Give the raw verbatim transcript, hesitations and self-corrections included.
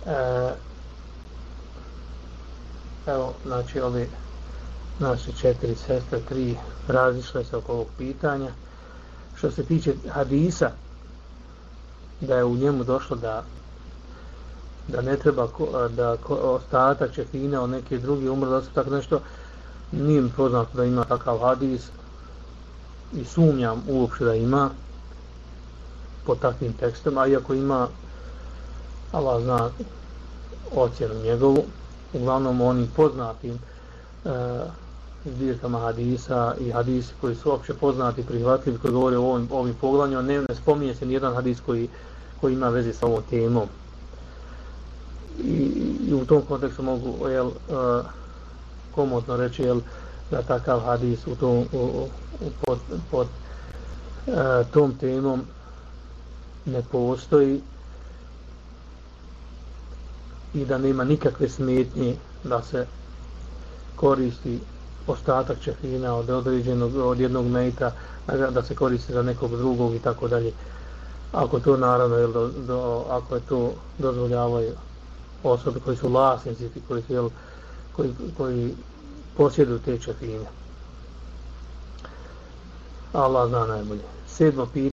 E, evo, znači, ovi naše četiri sestre, tri razišle se oko ovog pitanja. Što se tiče hadisa, da je u njemu došlo da da ne treba da ostatak čefine od neke drugi umre, da se tako nešto, nije mi poznato da ima takav hadis i sumnjam uopšte da ima po takvim tekstom, a iako ima, Allah zna ocjenu njegovu, uglavnom onim poznatim e, zbirkama hadisa i hadisi koji su opće poznati i prihvatljivi, koji govore o ovim, ovim poglavljima, ne, ne spominje se nijedan hadis koji, koji ima veze sa ovom temom. I, i u tom kontekstu mogu jel, uh, komotno reći jel, da takav hadis u tom, u, u, pod, pod uh, tom temom ne postoji i da nema nikakve smetnje da se koristi ostatak čefina od određenog, od jednog mejta, da se koristi za nekog drugog i tako dalje. Ako to naravno, jel, do, do, ako je to dozvoljavaju osobe koji su vlasnici, koji, jel, koji, koji posjeduju te čefine. Allah zna najbolje. Sedmo pitanje.